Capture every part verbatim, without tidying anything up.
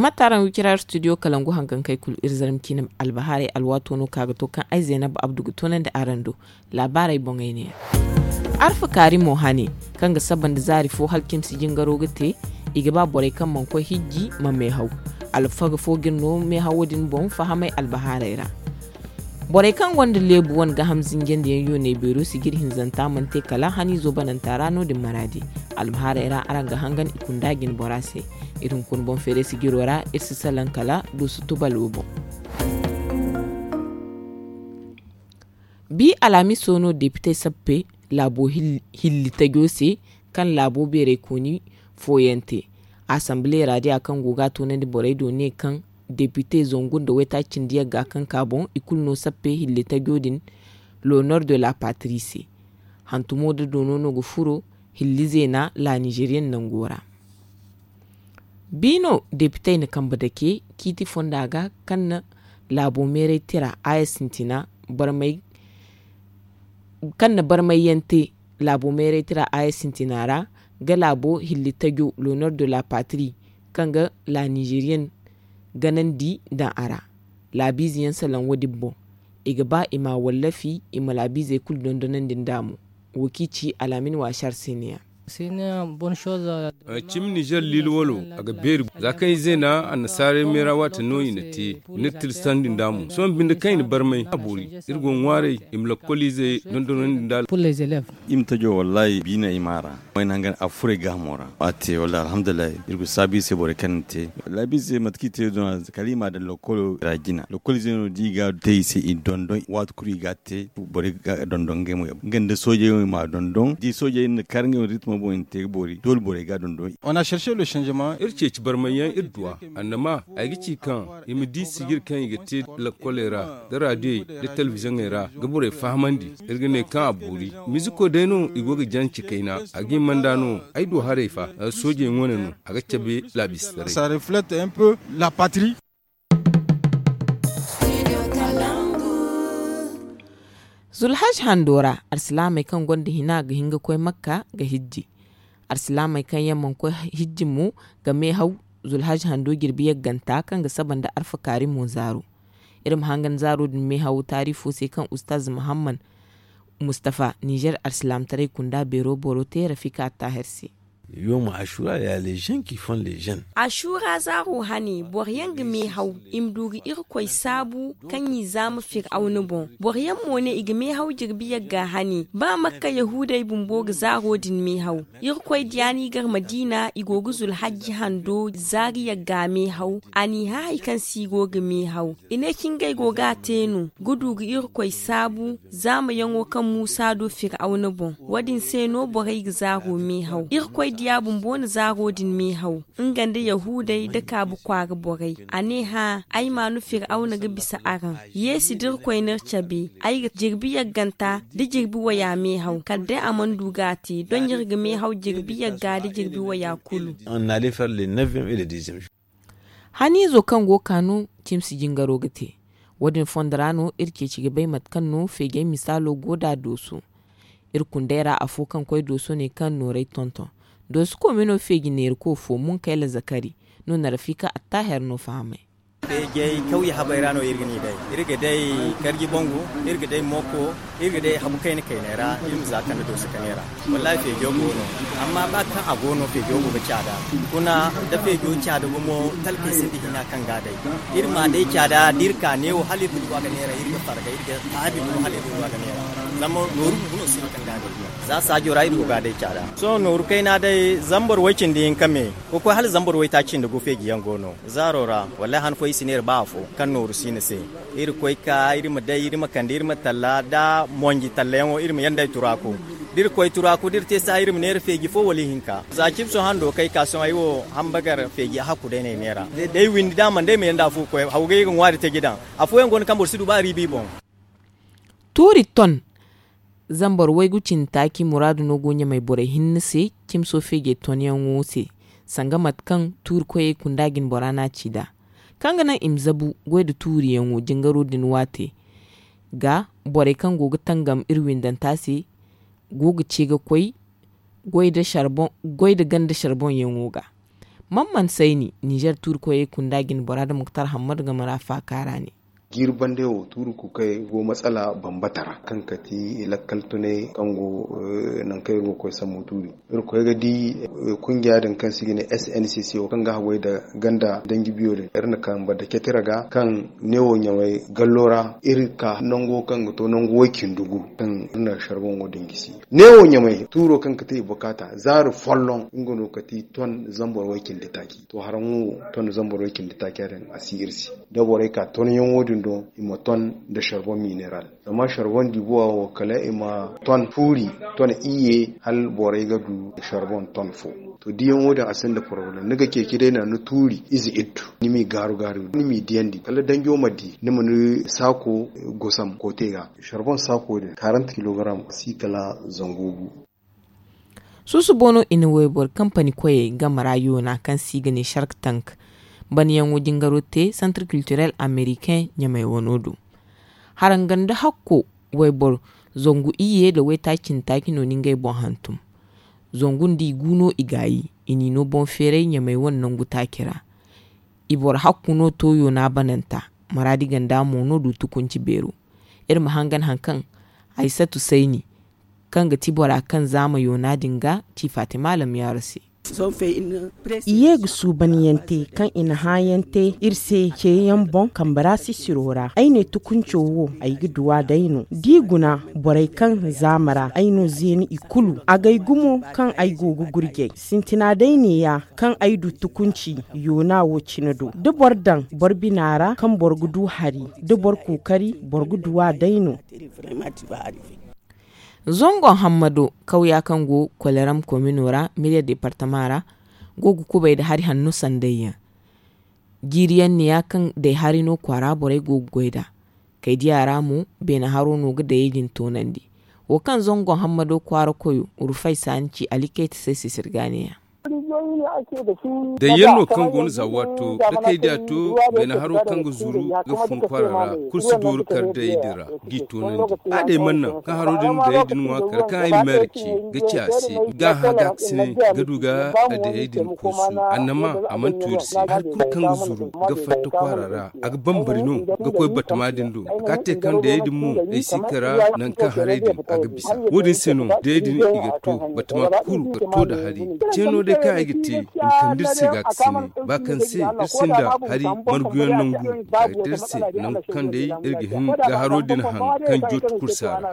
A taaraŋ wicira studio kalangu hangankey kulu iri zarma ciine albahaarey alwaato no ka ga to kaŋ ay zaynab abdu ga toonandi araŋ do. Laabaarey boŋey ne yaŋ. Arfa kaari mo hane kaŋ ga saba nda zaari fo hala cimsi jingaro ga te. I ga ba borey kaŋ mana koy hijji ma meehaw. Alfaga fo ga iri no meehawo din boŋ fahamay albahaarey ra. Borey kaŋ gonda leebu wane gaaham zinjandi yaŋ yooney beero sijir hinzanta mana te kala haniizo bananta ra no- din maraadi. Albahaarey ra araŋ ga hangan i kunda jine bora se. Iri hunkuna boŋ feeray sijiro ra iri si salaŋ kala duusu tubalo boŋ. Bi alhamiso no depitey sappe laabo hilli tajo se kaŋ laabo beeraykooni fooyaŋ te. Asamble ra diya kaŋ go ga a toonandi borey do ne kaŋ depite zangu nda waytaaci cindi yagga kaŋ ka boŋ i kulu no sappe hilli tajo din. L'honneur de la patrie se hantumo da doono no ga furo hilli zeena la nizeriyen nango ra. Bi no depitey na kambe dake ciiti fonda ga kaŋ na laabo meeray tira aya sintina barmay kaŋ na barmayyaŋ te laabo meeray tira aya sintina ra ga laabo hilli tajo l'honneur de la patrie kaŋ ga la nizeriyen ganandi daŋ a ra. Laabiize yaŋ salaŋ wo- din boŋ i ga ba i ma a wallafi i ma laabiizey kulu dondonandi nd'a mo. Wo kaŋ i ci alaamin waasar se ne- ya. Cimi nizer liili walo a ga beeri za kaŋ i zeena annasaarey meera waati no i na te i na tirsandi nd'a mo sohõ binde kaŋ i na barmay a boori. Iri go ga ŋwaaray i ma lakkoliizey dondonandi nd'a. Iri ma tajo wallaahi biina i ma a ra. Wayna hangan a furo ay gaahamo ra a te wallaahi alhamdulillahi. Iri go saabu i se borey kaŋ na te laabiizey mate kaŋ i te doŋ a kala i ma a daŋ lakkolo ra jina lakkoliizey no da i ga te i se i dondon waati kulu i ga a te. Borey ga dondon ngey mo nga nda soojey wo i ma a dondon da i soojey na kar ngey wane ritmo boŋ i na te ga boori doole borey ga a dondon. Iri ceeci barmay yaŋ iri du a annama ay ga ci kaŋ i ma di sijir kaŋ i ga te lakkoley ra da raadiyey da telebizoŋey ra ga borey fahamandi. Iri ga ne kaŋ a boori miziko day no i go ga jance kayna a ga hima nd'a no. Ay du haray fa soojey wane no a ga cabe laabiize taray. Zulhaz hando ra alsilaamey kaŋ gonda hina ga hin ga koy makka ga hijji. Alsilaamey kaŋ yaŋ mana koy hijji mo ga meehaw zulhaz hando jirbi yagganta kaŋ ga saba nda alfakaari mo zaaro. Iri ma hangan zaaro din meehawo taarifo se kaŋ ustaaz muhammad mustafa nizer alsilaamtaray kunda beero boro te rafika attaaher se. Yooma asura ya lezen ki fon lezen. Asura zaaro hane boro yaŋ ga meehaw i ma du ga irkoy saabu kaŋ i zaama firawna boŋ. Boro yaŋ mo ne i ga meehaw jirbi yagga hane ba makka yahuudey bumbo ga zaaro din meehaw. Irkoy diya no i gar madiina i go ga zulhajji hando zaari yagga meehaw. A n'i hã hari kaŋ se i go ga meehaw i ne cingey go ga a te no ga du ga irkoy saabu. Zaamayaŋo kaŋ muusa du firawna boŋ wo- din se no borey ga zaaro meehaw irkoy diya bumbo na zaaro din meehaw. Nga nda yahuudey da kaabu kwaara borey a ne hã ay ma no firawna ga bisa araŋ. Yeesi da irkoy n'iri cabe ay ga jirbi yagganta da jirbi waya meehaw kala day a mana du ga a te doŋ iri ga meehaw jirbi yagga da jirbi waya kulu. Haniizo kaŋ go ga ka no cimsi jingaro ga te. Wo- din fondo ra no iri ceeci ga bay mate kaŋ no feejey misaalo go nd'a dooso. Iri kundey ra afo kaŋ koy dooso ne kaŋ nooray tonton dooso koome no feeji neeriko fo munkayla zakari. No na rafika attaaher no fahamay. Feejey kawye habey ra no iri ga ni day iri ga day karji bangu iri ga day moko iri ga day habu kayna kayney ra. Iri ma za kande dooso kaney ra. Wallaahi feejo go no amma ba kaŋ a go no feejo go ga caada. Kuna da feejo caada gumo talkey sinda hina kaŋ ga a day. Iri ma a day caada da iri ka neewo hala iri ga du a ga neera iri ga farga iri ga taabi gumo hala iri ga du a ga neera. Zama nooru bumbo no sinda kaŋ ga a day. Za saajo ra iri go ga a day caada sohõ nooru kayna day zambar way cindi hinka me ga koy hala zambar waytaaci nda gu feeji yaŋ go no. Zaaro ra wallaahi han fooyaŋ i si ne iri ba afo kaŋ nooru si ni se. Iri koy ka iri ma day iri ma kande iri ma talla da monji tallayaŋo iri ma yaŋ day turaaku. Da iri koy turaaku da iri te saha iri ma neera feeji fo wala ihinka za cibso hando kay ka sohõ ay wo hambagar feeji hakku day no ay neera. Day windi da a mana day ay ma yaŋ da afo ga koy hawgay ga ŋwaari taji daŋ. Afooyaŋ go no kaŋ boro si du ba riibi boŋ. Tuuri ton zambar waygu cindi taaci muraadu no go ɲamay borey hinne se cimso feejey tonyaŋo se. Sanga mate kaŋ tuuri koyey kunda jine bora no a ci nd'a kaŋ ga naŋ i ma zabu goy nda tuuriyaŋo jingaro din waate. Ga borey kaŋ go ga tangam iri windanta se go ga ce ga koy goy nda ganda sharboŋyaŋo ga. Mamman sayni nizer tuuri koyey kunda jine bora nda muktar hammadu game ra faaka ra ne. Jiiri bande wo tuuri kukay go matsala bambata ra kaŋ kati lakkal tunay kaŋ go nangu kaŋ iri go ga koy sambu tuuri. Iri koy ga di kungiya din kaŋ se i ga ne sncc wo kaŋ ga haggoy nda ganda danji biyo din iri na kambe nda cetira ga kaŋ ne wo ɲamay gallo ra iri ka nango kaŋ ga to nangu way cindi gu kaŋ iri na sharboŋo din gisi. Ne wo ɲamay tuuro kaŋ ga te i bukaata zaari folloŋ nga no ga ti ton zambar way cindi taaci. To haraŋo wo ton zambar way cindi taaca din a si iri se da borey ka tonyaŋo din do i ma ton nda sharboŋ mineral. Zama sharboŋ dibuwa wo kala i ma ton fuuri ton iyye hala borey ga du sharboŋ ton fo. To diyaŋo din a sinda porobalem ni ga ceeci day naŋ ni tuuri ize iddu ni m'i gaaru gaaru ni m'i diyandi kala danjo ma di ni ma ni saako gosam koote ga. Sharboŋ saako din karanta kilogaram si kala zangu gu. Suusubo no i na wayboro kampani koyey game ra yoona kaŋ se i ga ne shark tank. Banyaŋo jingaro te santar kiltirel ameriken ɲamay wano do. Haranga nda hakko wayboro zangu iyye nda waytaaci nda taaci no ni ngey boŋ hantum. Zangu nda i gu no i gaayi i n'i no boŋ feeray ɲamay wane nangu taaci ra. I boro hakku no to yoona bananta maraadi ganda mo no du tukunci beero. Iri ma hangan hari kaŋ haysatu sayni kaŋ ga ti bora kaŋ zaama yoona din ga ci fatima lamyaaro se. I ye ga suubanyaŋ te kaŋ i na hãayaŋ te iri se ceeyaŋ boŋ kambe ra sisiro ra ay ne tukunco wo ay ga duw'a day no da i guna borey kaŋ zaama ra ay no zeeni i kulu agay gumo kaŋ ay go ga gurjay sintina day neeya kaŋ ay du tukunci yoona wo cine do da boro daŋ boro bina ra kaŋ boro ga du hari da boro kookari boro ga duw'a day no. Zango hammado kawya kaŋ go koleram komino ra miliya departama ra go ga kubay nda hari hanno sanday yaŋ. Jiiri yaŋ neeya kaŋ day hari no kwaara borey go ga goy nd'a. Kay diya ra mo beene haro no ga dayey din toonandi. Wo kaŋ zango hammado kwaara koyo rufay saani ci alikayta se sisir ga neeya. Dayyaŋ no kaŋ go no za waato da kay diya to beene haro kaŋ ga zuru ga fun kwaara ra kulu si dooru kar dayey din ra g'i toonandi. A day mana naŋ kaŋ haro din dayey din ŋwa kala kaŋ ay ma meera ce ga ci a se ga hã ga kasinay ga du ga dayey din koosu. Annama a mana tu iri se hari kulu kaŋ ga zuru ga fatta kwaara ra a ga bambari no ga koy batama din do. Ka te kaŋ dayey din mo ay si kara naŋ kaŋ haray din a ga bisa wo- din se no dayey din i ga to batama kulu ga to nda hari. Ceeno day kaŋ ay ga te i ma kande iri se ga kasinay ba kaŋ se iri sinda hari marguyaŋ nangu a ga te iri se nangu kaŋ day iri ga hin ga haro din haŋ kaŋ jooti kursa ra.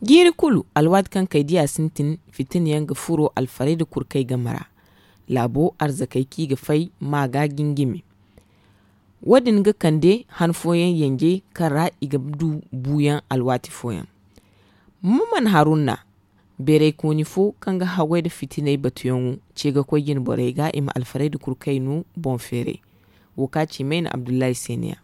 Jiiri kulu alwaati kaŋ kay diya sintin fitina yaŋ ga furo alfarayda kurkey game ra. Laabo arzakey kaŋ i ga fay ma ga jingimi. Wo- din ga kande han fooyaŋ yanjey kaŋ ra i ga du buuyaŋ alwaati fooyaŋ. Maman haruna beeraykooni fo kaŋ ga haggoy nda fitiney batuyaŋo ce ga koy jine borey ga i ma alfarayda kurkey no boŋ feeray. Wo ka ci mayna abdullahi se ne ya.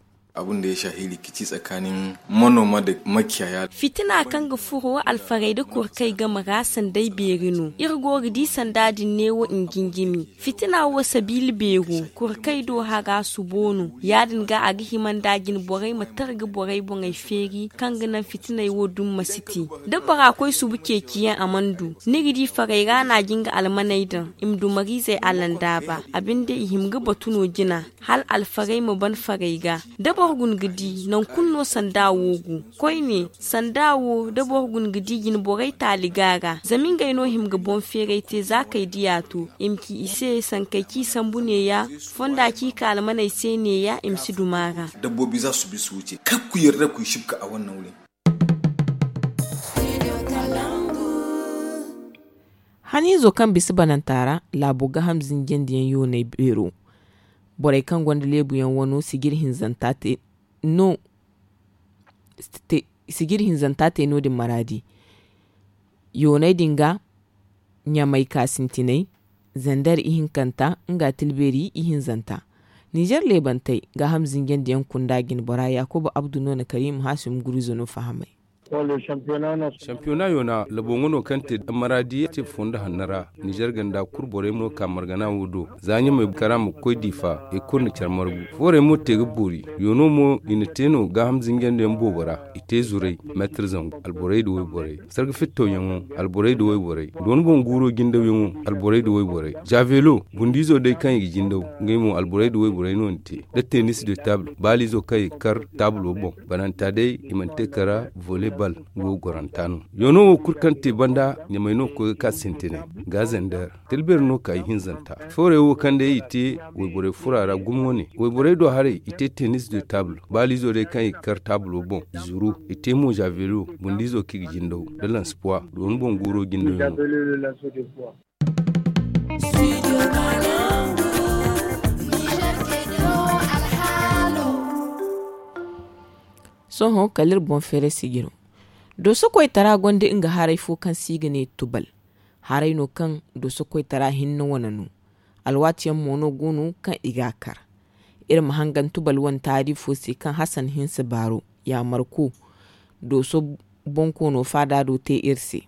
Fitina kaŋ ga furo alfarayda kurkey game ra sanday beeri no iri go ga di sanda din neewo i ma jinjimi. Fitina wo sabiila beero kurkey do hara subo no ya- din ga a ga hima nda jine borey ma targa borey boŋey feeri kaŋ ga naŋ fitiney wo dumi ma si te. Da bora koy subu ceeciyaŋ a mana du ni ga di farey ra no a jin ga almaney daŋ i ma du mariizey allandaaba a binde i hima ga batu no jina hala alfarey ma ban farey ga. Da boro guna ga di nangu kulu no sanda wo go koyne sanda wo da boro guna ga di jine borey taali ga a ra zama ngey no hima ga boŋ feeray te za kay diya to i ma ci i se sankey kaŋ i sambu neeya fonda kaŋ i ka almaney se neeya i ma si duma a ra. Dabbobi za subi subu ce kar ku yarda ku i sibka a wane naw din. Haniizo kaŋ bisa bananta ra laabo ga ham zinjandiyaŋ yoonay beero. Borey kaŋ gonda leebuyaŋ wano sijir hinzanta te no sijir hinzanta te no- din maraadi. Yooney din ga ɲamay ka sintinay zander ihinkanta nga tilbeeri ihinzanta. Nizer leebantey ga ham zinjandiyaŋ kunda jine bora yaakuba abdu no na kariim haasim gurizo no fahamay. Shampiyona yoona labo nga no kaŋ te maradi te fondo hanno ra. Nizer ganda kulu borey mo ka margana wo do za ɲamey kara ma koy difa i kulu na care margu. Foorey mo te ga boori. Yoono mo i na te no gaaham zinjandi yaŋ boobo ra. I te zuray meetar zangu alborey nda wayborey sarga fittoyaŋo. Alborey nda wayborey dooni boŋ guuro jindawyaŋo. Alborey nda wayborey javeelo bundiizo day kaŋ i ga jindaw ngey mo alborey nda wayborey no ni te. Da tenis de taabul baaliizo kaŋ i ga kar taabulo boŋ bananta day i mana te kara volley bal. Nga wo goranta no. Yoono wo kulu kaŋ te banda ɲamey no ga koy ga ka sintinay. Ga zender tilbeeri no ka ihinzanta. Foorey wo kaŋ day i te wayborey furo a ra gumo wane wayborey do haray i te tenis de taabul baaliizo day kaŋ i ga kar taabulo boŋ i zuru. I te mo javeelo bundiizo kaŋ i ga jindaw da lanspoir dooni boŋ guuro jindaw yaŋo. Sohõ kala iri boŋ feeray sijiro dooso koytara gonda nga haray fo kaŋ se i ga ne tubal. Haray no kaŋ dooso koytara hinne wane no. Alwaati yaŋ mo no go no kaŋ i ga a kar. Iri ma hangan tubal wane taari fo se kaŋ hasan hinse baaro yaamarko dooso bonkoono faada do te iri se.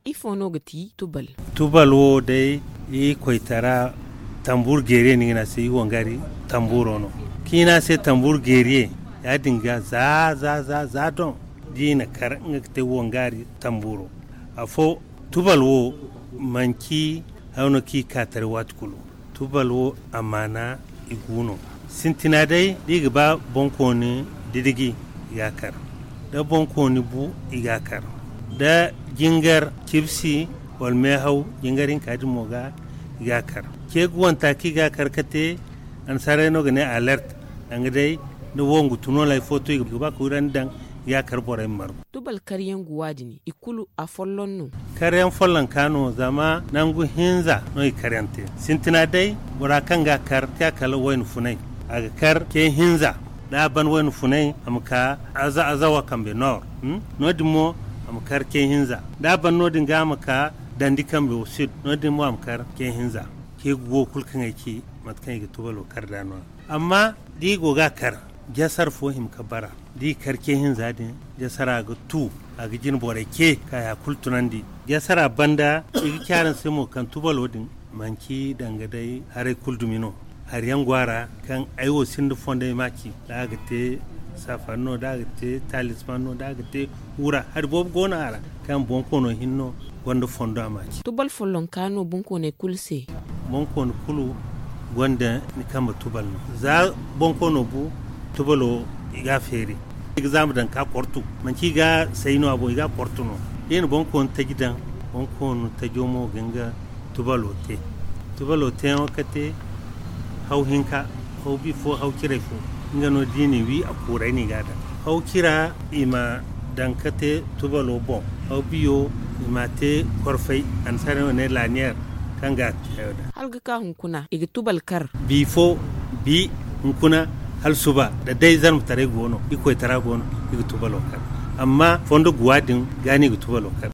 Ifo no ga ti tubal? Tubal wo day i koytara tambuur geeriye no i ga ne a se i wangari tambuuro no. Kaŋ i ne a se tambuur geeriye ya- din ga za za za za doŋ da i na kar nga ga te wangari tambuuro. Afo tubal wo manci hayo no kaŋ i ka taray waati kulu. Tubal wo amaana i gu no. Sintina day da i ga ba boŋkooni didiji i ga a kar. Da boŋkooni bu i ga a kar. Da jingar cibsi wala meehaw jingar hinka din mo ga i ga a kar. Ce ga wanta kaŋ i ga a kar ga te annasaarey no ga ne alert. Danga day da wongu tun wala hari fo to i ga ba ka wirandi daŋ i ga a kar borey ma margu. Tubal karyaŋ guwa din i kulu afolloŋ no. Karyaŋ follonka no zama nangu hinza no i karyaŋ te. Sintina day bora kaŋ ga a kar te a kala wayna funay. A ga kar ce hinza da a ban wayna funay a ma ka azawa kambe nor. No- din mo a ma kar ce hinza da a ban no- din ga a ma ka dandi kambe wo sid no- din mo a ma kar ce hinza. Ce guwo kulu kaŋ ay ci mate kaŋ i ga tubalo kar nd'a no- ya amma da i go ga a kar jasar fo hima ga bara da i kar ce hinza din jasara ga tu. A ga jine borey ce ka ya kulu tunandi jasara banda i ga ci araŋ se mo kaŋ tubalo din manci danga day haray kulu dumi no. Hari yaŋ go a ra kaŋ ay wo sinda fondo ay ma a ci da a ga te safari no da a ga te talisman no da a ga te wura hari boobo go no a ra kaŋ bonkoono hinne no gonda fondo a ma a ci. Tubal follonka no bonkooney kulu se. Bonkooni kulu gonda ni kambe tubal no za bonkoono bu tubalo i ga a feeri. I ga zaama daŋ ka kortu manci i ga say no a boŋ i ga a kortu no. Da i na bonkooni taji daŋ bonkooni tajo mo ga nga tubalo te. Tubalo teyaŋo ga te haw hinka haw bi fo haw ciray fo. Nga no da i n'i wi a kuuray no i ga a daŋ haw cira i ma daŋ ga te tubalo boŋ. Haw biyo i m'a te korfay annasaarey wo ne laniyeer kaŋ ga a te hayo daŋ. Hala ga ka hunkuna i ga tubal kar. Bi fo bi hunkuna hala suba da day zarmataray go no i koytara go no i ga tubalo kar. Amma fondo guwa din ga no i ga tubalo kar.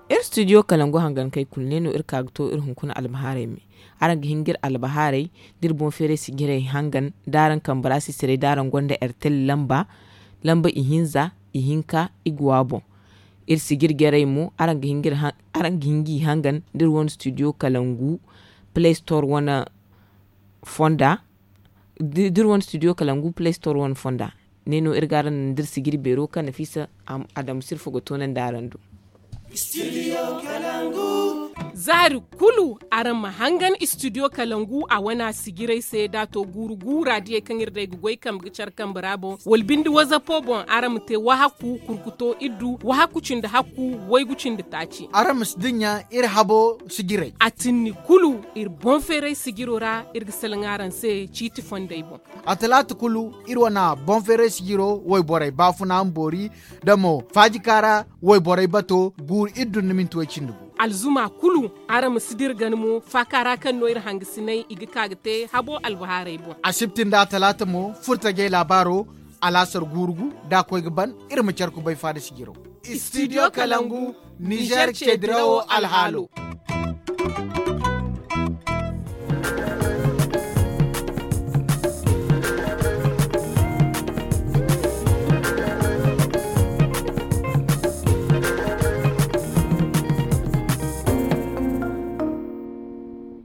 Iri studio kalangu hangankey kulu ne no iri ka ga to iri hunkuna albahaarey me. Araŋ ga hin ga iri albahaarey da iri boŋ feeray sijirey hangan da araŋ kambe ra sisiray da araŋ gonda ertel lamba lamba ihinza ihinka iguwa boŋ. Iri sijir jarey mo araŋ ga hin ga iri hangan da iri wane studio kalangu play store wane fonda. Da iri wane studio kalangu play store wane fonda ne no iri ga araŋ naŋ da iri sijir beero kaŋ nafisa adamu sirfo ga toonandi araŋ do. Zaari kulu araŋ ma hangan studio kalangu a wana sijirey se da a to guuru guura diyey kaŋ iri day ga goy kambe ga care kambe ra boŋ wala binde wazapo boŋ araŋ ma te wahakku kurkuto iddu wahakku cindi hakku waygu cindi taaci. Araŋ ma si dinya iri habo sijirey a tinni kulu iri boŋ feeray sijiro ra iri ga salaŋ araŋ se ciiti fondey boŋ. A talaata kulu iri wana boŋ feeray sijiro wayborey baafuna ma boori da mo faajika ra wayborey bato guuru iri dun ni minti way cindi gu. Alzuma kulu araŋ ma si dira gana mo faaka ra kaŋ no iri hangasinay i ga ka ga te habo albahaarey boŋ. Asibti nda a talaata mo furtajey laabaaro alaasar guuru gu da a koy ga ban iri ma care kubay faada sijiro. Studio kalangu nizer ce dirawo alhaalo.